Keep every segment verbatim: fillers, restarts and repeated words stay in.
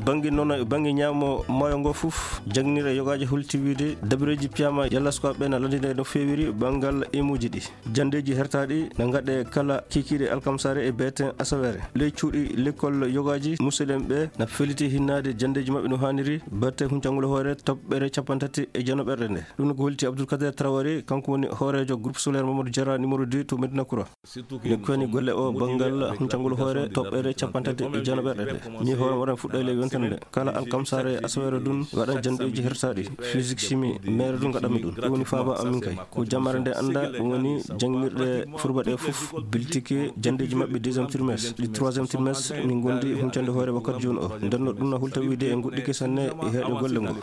Bannge noon e bannge ñaamo maayo ngo fof, jannginirɗe yogaaji holti wiide dabareeji piyaama yalla sukaaɓe ɓe na lanndinee no feewiri banngal imuuji ɗi. Janndeeji hertaaɗi na ngaɗe kala kiikiiɗe alkamsaare e beeten asaweere. Ley cuuɗi lekkol yogaaji, musidɓe ɓe na felliti hinnaade janndeeji maɓɓe no haaniri, batte huncangol hoore toɓɓere cappanɗe tati e jeenaɓerde nde. Ɗum ko holti Abdoul Kader Traoré, kanko woni hooreejo groupe scolaire Mamadou Diarra numéro deux to Médina Kouran. Ne koni golle o banngal huncangol hoore toɓɓere cappanɗe tati e jeenaɓerde nde. Ni hoore waɗan fuɗɗoyle yontere nde. Kala alkamsaare e asaweere ɗum waɗan janndeeji hertaaɗi. Physique chimie, meere ɗum ngaɗanmi ɗum. Ɗum woni faaba amin kay. Ko jammaare nde annda, ɗum woni jannginirɗe furba ɗe fof, biltike janndeeji maɓɓe deuxième trimestre. Ɗi troisième trimestre, min ngondi huncande hoore wakkati jooni o. Nden no ɗum na hulta wiide en goɗɗike sanne e heeɗo golle ngo.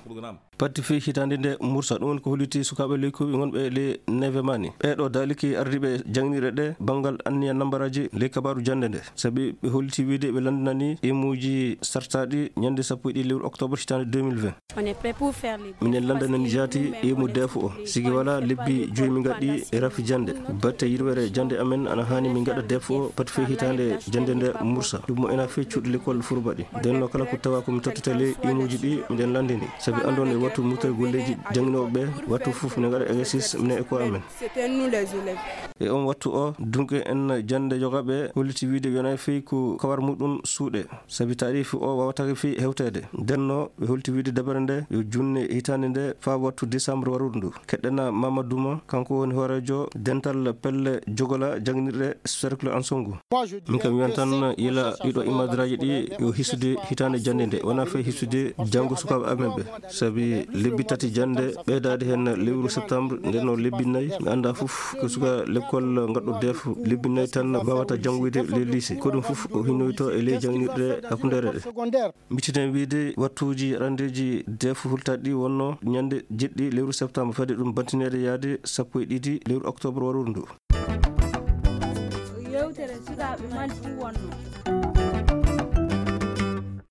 Parti fii hitaande nde mursa, ɗum woni ko holliti sukaaɓe leykuuɓe wonɓe le neve mani. Ɓee ɗo daaliki ardiiɓe jannginirɗe ɗe banngal anniya nambaraaji ley kabaaru jannde nde. Sabi ɓe holliti wiide ɓe lanndinani imuuji sartaaɗi ñande sappo e ɗiɗi lewru octobre hitaande deux mille vingt. On est prêt pour faire les Minen lanndinani jaati imu deefo o. Sigi wala lebbi joyi min ngaɗi e rafi jannde. Batte yirwere jannde amen ana haani min ngaɗa deefo o parti fii hitaande jannde nde mursa. Ɗum mo ena fii cuuɗi lekkol furba ɗi. Nden no kala ko tawa ko mi tottata ley imuuji ɗi miɗen lanndini. Sabi anndon e wattu mutay golleeji jannginooɓe ɓe, wattu fof minen ngaɗa exercice minen e ko amen. C'était nous les élèves. E on wattu o, dunke en jannde yogaaɓe holliti wiide wiyana fii ko kawar muɗum suuɗe. Sabi taarifi o wawatake fii hewteede. Nden no ɓe holti wiide dabere nde yo junne hitaande nde faa wattu décembre waruɗo ndu. Keɗɗena Mamadou Ma, kanko woni hooreejo dental pelle jogola jannginirɗe cercle Ansongo. Min kam wiyan tan yila ɗiɗo imadraaji ɗi yo hisude hitaande jannde nde, wona fee hisude janngo sukaaɓe amen ɓe. Sabi lebbi tati jannde ɓeydaade heen lewru septembre, nden no lebbi nayi, mi annda fof ko suka lekkol ngaɗɗo deef lebbi nayi tan wawata janngoyde ley lycée. Ko ɗum fof o hinnoyto e ley jannginirɗe hakkundeere ɗe. Mitinen wiide wattuuji randeeji deef hultaaɗi ɗi wonno ñande jeɗɗi lewru septembre, fade ɗum bantineede yaade sappo e ɗiɗi lewru octobre waruɗo ndu. Yewtere sukaaɓe Mali ɗum wonno.